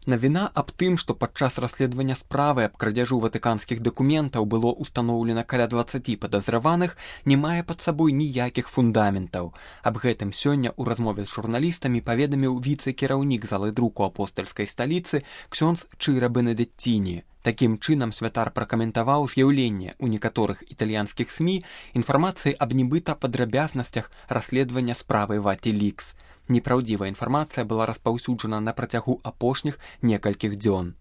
Навіна аб тым, што падчас расследавання справы аб крадзяжу ватыканскіх дакументаў было ўстаноўлена каля 20 падазраваных, не мае пад сабой ніякіх фундаментаў. Аб гэтым сёння ў размове з журналістамі паведаміў віцэ-кіраўнік залы друку апостальскай сталіцы ксёндз Чыра Бенедетціні. Такім чынам святар пракаментаваў з'яўленне ў некаторых італьянскіх СМІ інфармацыі аб нібыта падрабязнасцях расследавання справы Ватилікс. Непраўдзівая інфармацыя была распаўсюджана на працягу апошніх некалькіх дзён.